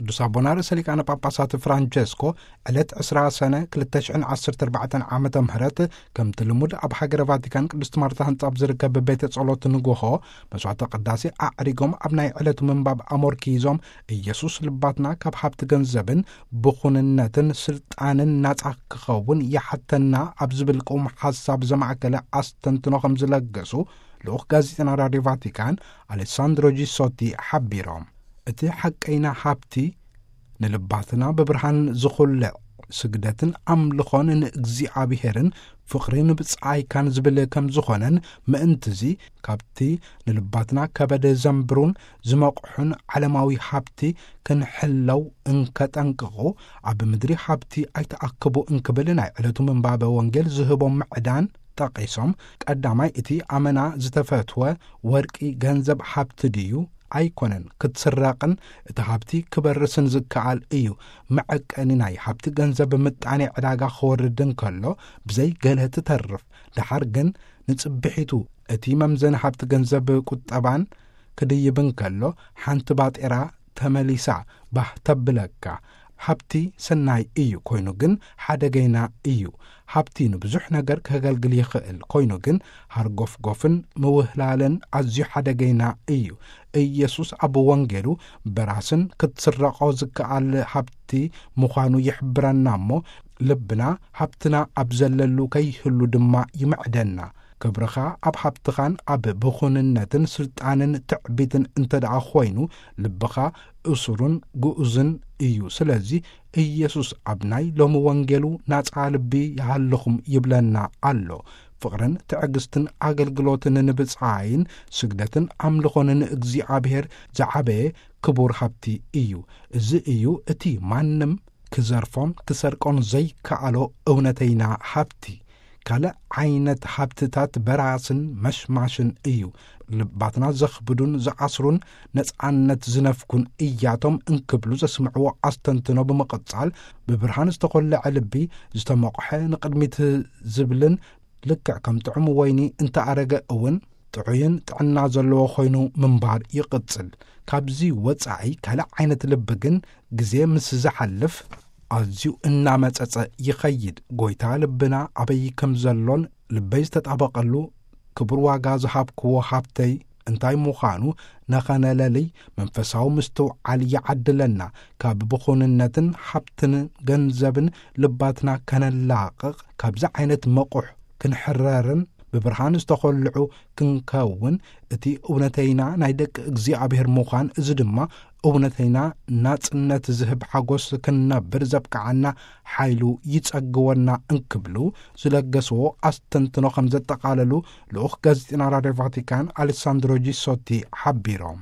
ቅዱስ ኣቦና ርእሰ ሊቃነ ጳጳሳት ፍራንቸስኮ ዕለት ዕስራ ሰነ ክልተ ሽሕን ዓሰርተ ኣርባዕተን ዓመተ ምህረት፣ ከምቲ ልሙድ ኣብ ሃገረ ቫቲካን ቅድስት ማርታ ህንጻ ኣብ ዝርከብ ቤተ ጸሎት ንግሆ መስዋዕተ ቅዳሴ ኣዕሪጎም፣ ኣብ ናይ ዕለቱ ምንባብ ኣሞርኪዞም፣ ኢየሱስ ልባትና ካብ ሃብቲ ገንዘብን ብኹንነትን ስልጣንን ናጻ ክኸውን ይሓተና ኣብ ዝብል ቅውም ሓሳብ ዘማእከለ ኣስተንትኖ ከም ዝለገሱ ልኡኽ ጋዜጠና ራድዮ ቫቲካን ኣሌሳንድሮ ጂሶቲ ሓቢሮም። እቲ ሓቀይና ሃብቲ ንልባትና ብብርሃን ዝኹልዕ ስግደትን ኣምልኾን ንእግዚኣብሔርን ፍቕሪ ንብጻይካን ዝብል ከም ዝኾነን፣ ምእንትዚ ካብቲ ንልባትና ከበደ ዘንብሩን ዝመቕሑን ዓለማዊ ሃብቲ ክንሕለው እንከጠንቅቑ፣ ኣብ ምድሪ ሃብቲ ኣይተኣክቡ እንክብል ናይ ዕለቱ ምንባበ ወንጌል ዝህቦም ምዕዳን ጠቒሶም፣ ቀዳማይ እቲ ኣመና ዝተፈትወ ወርቂ ገንዘብ ሃብቲ ድዩ? ኣይኮነን። ክትስረቕን እቲ ሃብቲ ክበርስን ዝከኣል እዩ። መዐቀኒ ናይ ሃብቲ ገንዘብ ምጣኔ ዕዳጋ ክወርድ እንከሎ ብዘይ ገለ ትተርፍ። ደሓር ግን ንጽብሒቱ እቲ መምዘኒ ሃብቲ ገንዘብ ቁጠባን ክድይብ እንከሎ ሓንቲ ባጤራ ተመሊሳ ባህ ተብለካ። ሃብቲ ሰናይ እዩ፣ ኮይኑ ግን ሓደገይና እዩ። ሃብቲ ንብዙሕ ነገር ከገልግል ይኽእል፣ ኮይኑ ግን ሃርጎፍጎፍን ምውህላልን ኣዝዩ ሓደገይና እዩ። ኢየሱስ ኣብ ወንጌሉ በራስን ክትስረቖ ዝከኣል ሃብቲ ምዃኑ ይሕብረና እሞ፣ ልብና ሃብትና ኣብ ዘለሉ ከይህሉ ድማ ይምዕደና። ክብርኻ ኣብ ሃብትኻን ኣብ ብኹንነትን ስልጣንን ትዕቢትን እንተ ደኣ ኾይኑ፣ ልብኻ እሱርን ግኡዝን እዩ። ስለዚ ኢየሱስ ኣብ ናይ ሎሚ ወንጌሉ ናጻ ልቢ ይሃልኹም ይብለና ኣሎ። ፍቕርን ትዕግስትን ኣገልግሎትን ንብጻይን ስግደትን ኣምልኾን ንእግዚኣብሔር ዝዓበየ ክቡር ሃብቲ እዩ። እዚ እዩ እቲ ማንም ክዘርፎን ክሰርቆን ዘይከኣሎ እውነተይና ሃብቲ። ካልእ ዓይነት ሃብትታት በራስን መሽማሽን እዩ። ልባትና ዘኽብዱን ዝኣስሩን ነጻነት ዝነፍኩን እያቶም እንክብሉ ዘስምዕዎ ኣስተንትኖ ብምቕጻል፣ ብብርሃን ዝተኾለዐ ልቢ ዝተመቑሐ ንቕድሚት ዝብልን ልክዕ ከም ጥዑም ወይኒ እንተኣረገ እውን ጥዑይን ጥዕና ዘለዎ ኮይኑ ምንባር ይቕጽል። ካብዚ ወጻኢ ካልእ ዓይነት ልቢ ግን ግዜ ምስ ዝሓልፍ ኣዝዩ እናመጸጸ ይኸይድ። ጎይታ ልብና ኣበይ ከም ዘሎን ልበይ ዝተጣበቐሉ ክቡር ዋጋ ዝሃብክዎ ሃብተይ እንታይ ምዃኑ ነኸነለልይ መንፈሳዊ ምስትውዓል ይዓድለና። ካብ ብኹንነትን ሃብትን ገንዘብን ልባትና ከነላቕቕ፣ ካብዚ ዓይነት መቑሕ ክንሕረርን ብብርሃን ዝተኾልዑ ክንከውን፣ እቲ እውነተይና ናይ ደቂ እግዚኣብሔር ምዃን፣ እዚ ድማ እውነተይና ናጽነት ዝህብ ሓጎስ ክንነብር ዘብቅዓና ሓይሉ ይጸግወና እንክብሉ ዝለገስዎ ኣስተንትኖ ከም ዘጠቓለሉ ልኡኽ ጋዜጠና ራድዮ ቫቲካን ኣሌሳንድሮ ጂሶቲ ሓቢሮም።